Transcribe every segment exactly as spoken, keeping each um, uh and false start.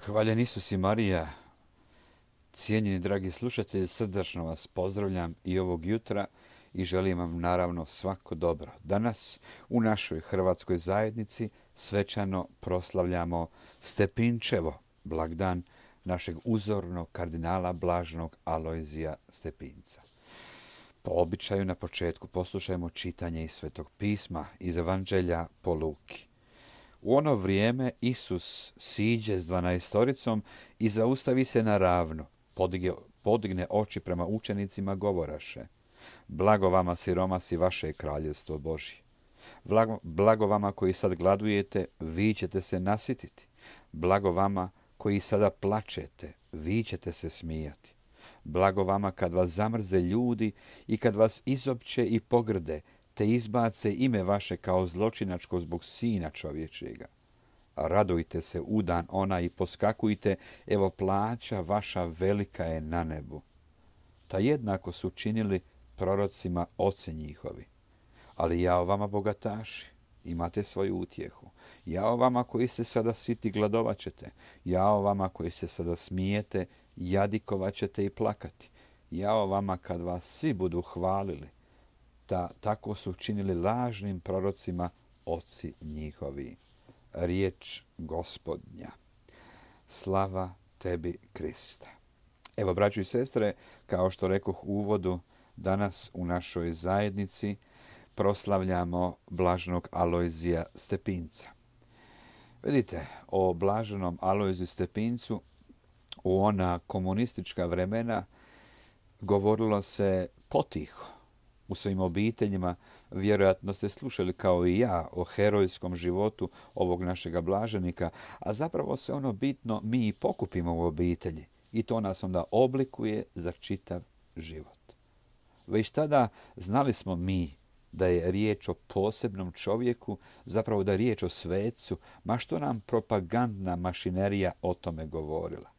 Hvaljen Isus i Marija, cijenjeni dragi slušatelji, srdačno vas pozdravljam i ovog jutra i želim vam naravno svako dobro. Danas u našoj hrvatskoj zajednici svečano proslavljamo Stepinčevo, blagdan našeg uzornog kardinala blaženog Alojzija Stepinca. Po običaju na početku poslušajmo čitanje iz Svetog pisma iz Evanđelja po Luki. U ono vrijeme Isus siđe s dvanaestoricom i zaustavi se na ravno, podigne, podigne oči prema učenicima, govoraše: Blago vama siromasi, vaše je kraljevstvo Božje. Blago, blago vama koji sad gladujete, vi ćete se nasititi. Blago vama koji sada plačete, vi ćete se smijati. Blago vama kad vas zamrze ljudi i kad vas izopće i pogrde, te izbace ime vaše kao zločinačko zbog Sina čovječega. Radujte se u dan ona i poskakujte, evo plaća vaša velika je na nebu. Ta jednako su činili prorocima oci njihovi. Ali jao vama bogataši, imate svoju utjehu. Jao vama koji se sada siti, gladovat ćete. Jao vama koji se sada smijete, jadikovat ćete i plakati. Jao vama kad vas svi budu hvalili. Da tako su činili lažnim prorocima oci njihovi. Riječ Gospodnja. Slava tebi, Kriste. Evo, braćo i sestre, kao što rekoh u uvodu, danas u našoj zajednici proslavljamo blaženog Alojzija Stepinca. Vidite, o blaženom Alojziju Stepincu u ona komunistička vremena govorilo se potiho. U svojim obiteljima vjerojatno ste slušali kao i ja o herojskom životu ovog našega blaženika, a zapravo sve ono bitno mi i pokupimo u obitelji i to nas onda oblikuje za čitav život. Već tada znali smo mi da je riječ o posebnom čovjeku, zapravo da je riječ o svecu, ma što nam propagandna mašinerija o tome govorila.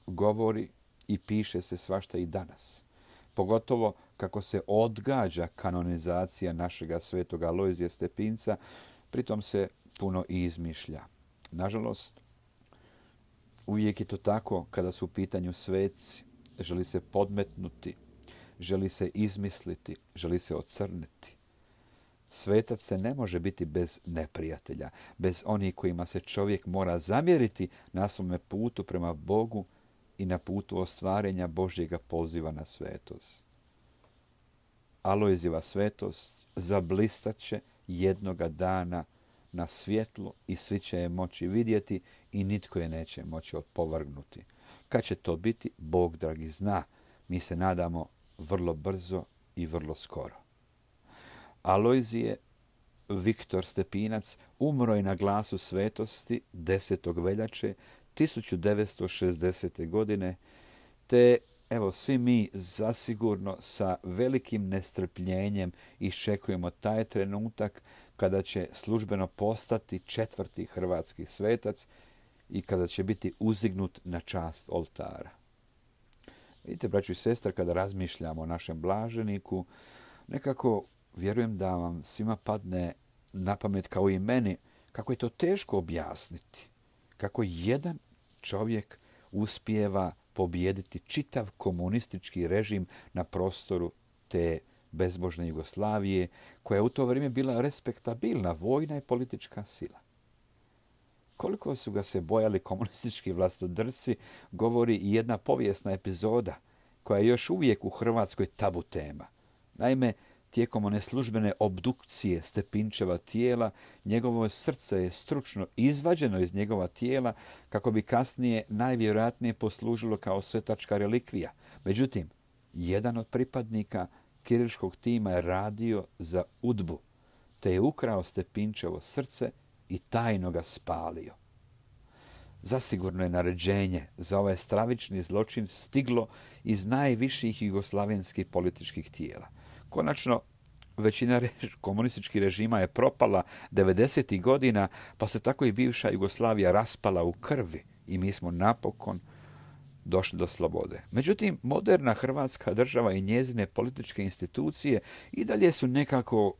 Govori i piše se svašta i danas. Pogotovo kako se odgađa kanonizacija našega svetoga Alojzija Stepinca, pritom se puno i izmišlja. Nažalost, uvijek je to tako kada su u pitanju sveci. Želi se podmetnuti, želi se izmisliti, želi se ocrniti. Svetac se ne može biti bez neprijatelja, bez onih kojima se čovjek mora zamjeriti na svome putu prema Bogu i na putu ostvarenja Božjega poziva na svetost. Alojzijeva svetost zablistaće jednoga dana na svjetlu i svi će je moći vidjeti i nitko je neće moći opovrgnuti. Kad će to biti, Bog dragi zna. Mi se nadamo vrlo brzo i vrlo skoro. Alojzije Viktor Stepinac umro je na glasu svetosti desetog veljače tisuću devetsto šezdesete. godine, te evo svi mi zasigurno sa velikim nestrpljenjem iščekujemo taj trenutak kada će službeno postati četvrti hrvatski svetac i kada će biti uzignut na čast oltara. Vidite, braćo i sestre, kada razmišljamo o našem blaženiku, nekako vjerujem da vam svima padne na pamet kao i meni kako je to teško objasniti. Kako jedan čovjek uspijeva pobijediti čitav komunistički režim na prostoru te bezbožne Jugoslavije, koja je u to vrijeme bila respektabilna vojna i politička sila. Koliko su ga se bojali komunistički vlastodrci, govori i jedna povijesna epizoda koja je još uvijek u Hrvatskoj tabu tema. Naime, tijekom one službene obdukcije Stepinčeva tijela, njegovo srce je stručno izvađeno iz njegova tijela kako bi kasnije najvjerojatnije poslužilo kao svetačka relikvija. Međutim, jedan od pripadnika kiriličkog tima je radio za udbu, te je ukrao Stepinčevo srce i tajno ga spalio. Zasigurno je naređenje za ovaj stravični zločin stiglo iz najviših jugoslavenskih političkih tijela. Konačno, većina rež, komunističkih režima je propala devedesetih godina, pa se tako i bivša Jugoslavija raspala u krvi i mi smo napokon došli do slobode. Međutim, moderna Hrvatska država i njezine političke institucije i dalje su nekako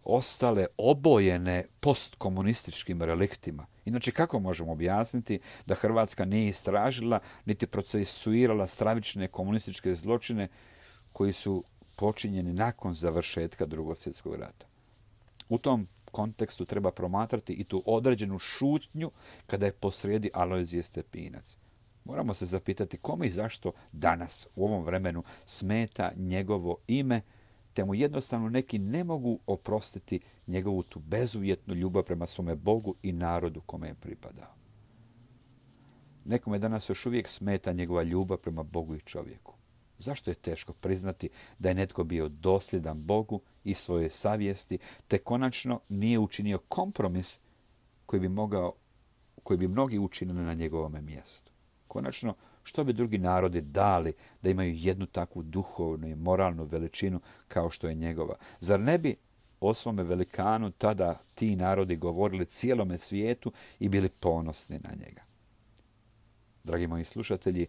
ostale obojene postkomunističkim reliktima. Inače, kako možemo objasniti da Hrvatska nije istražila niti procesuirala stravične komunističke zločine koji su počinjeni nakon završetka Drugog svjetskog rata? U tom kontekstu treba promatrati i tu određenu šutnju kada je posrijedi Alojzije Stepinac. Moramo se zapitati kome i zašto danas u ovom vremenu smeta njegovo ime, te mu jednostavno neki ne mogu oprostiti njegovu tu bezuvjetnu ljubav prema svome Bogu i narodu kome je pripadao. Nekome danas još uvijek smeta njegova ljubav prema Bogu i čovjeku. Zašto je teško priznati da je netko bio dosljedan Bogu i svoje savjesti, te konačno nije učinio kompromis koji bi, mogao, koji bi mnogi učinili na njegovome mjestu? Konačno, što bi drugi narodi dali da imaju jednu takvu duhovnu i moralnu veličinu kao što je njegova? Zar ne bi o svome velikanu tada ti narodi govorili cijelome svijetu i bili ponosni na njega? Dragi moji slušatelji,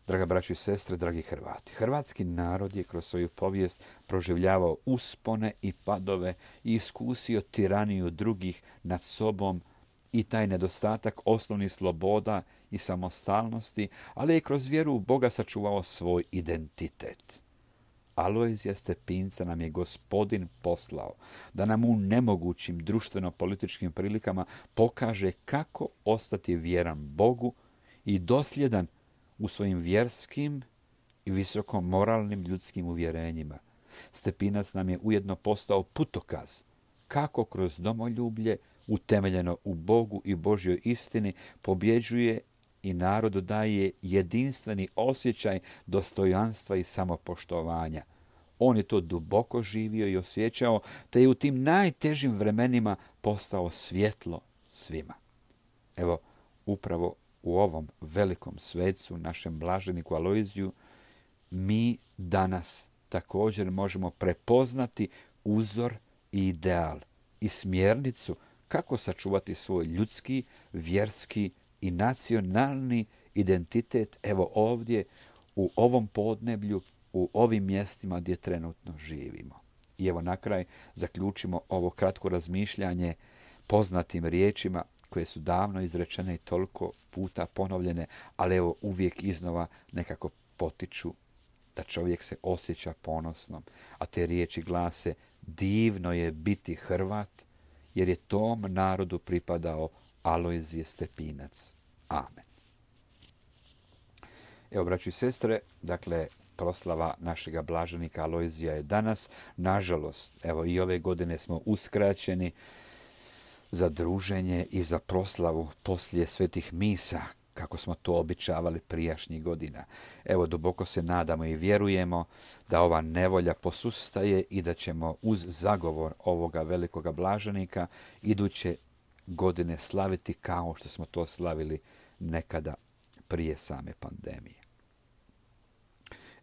draga braćo i sestre, dragi Hrvati, hrvatski narod je kroz svoju povijest proživljavao uspone i padove i iskusio tiraniju drugih nad sobom i taj nedostatak osnovnih sloboda i samostalnosti, ali je kroz vjeru u Boga sačuvao svoj identitet. Alojzija Stepinca nam je Gospodin poslao da nam u nemogućim društveno-političkim prilikama pokaže kako ostati vjeran Bogu i dosljedan u svojim vjerskim i visoko moralnim ljudskim uvjerenjima. Stepinac nam je ujedno postao putokaz kako kroz domoljublje utemeljeno u Bogu i Božjoj istini pobjeđuje i narodu daje jedinstveni osjećaj dostojanstva i samopoštovanja. On je to duboko živio i osjećao, te je u tim najtežim vremenima postao svjetlo svima. Evo, upravo u ovom velikom svecu, našem blaženiku Alojziju, mi danas također možemo prepoznati uzor i ideal i smjernicu kako sačuvati svoj ljudski, vjerski i nacionalni identitet, evo ovdje, u ovom podneblju, u ovim mjestima gdje trenutno živimo. I evo na kraj zaključimo ovo kratko razmišljanje poznatim riječima koje su davno izrečene i toliko puta ponovljene, ali evo uvijek iznova nekako potiču da čovjek se osjeća ponosnom. A te riječi glase: divno je biti Hrvat, jer je tom narodu pripadao Alojzije Stepinac. Amen. Evo, braćo i sestre, dakle, proslava našega blaženika Alojzija je danas. Nažalost, evo i ove godine smo uskraćeni za druženje i za proslavu poslije svetih misa, kako smo to običavali prijašnjih godina. Evo, duboko se nadamo i vjerujemo da ova nevolja posustaje i da ćemo uz zagovor ovoga velikoga blaženika iduće godine slaviti kao što smo to slavili nekada prije same pandemije.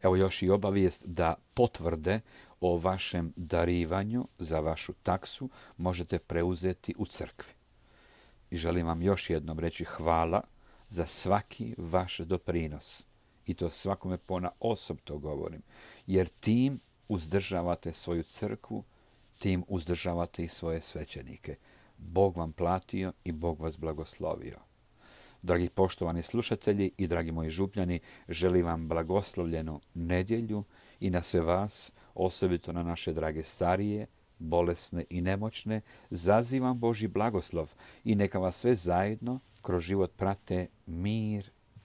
Evo još i obavijest da potvrde o vašem darivanju za vašu taksu možete preuzeti u crkvi. I želim vam još jednom reći hvala za svaki vaš doprinos. I to svakome ponaosob to govorim. Jer tim uzdržavate svoju crkvu, tim uzdržavate i svoje svećenike. Bog vam platio i Bog vas blagoslovio. Dragi poštovani slušatelji i dragi moji župljani, želim vam blagoslovljenu nedjelju i na sve vas, osobito na naše drage starije, bolesne i nemoćne, zazivam Božji blagoslov i neka vas sve zajedno kroz život prate mir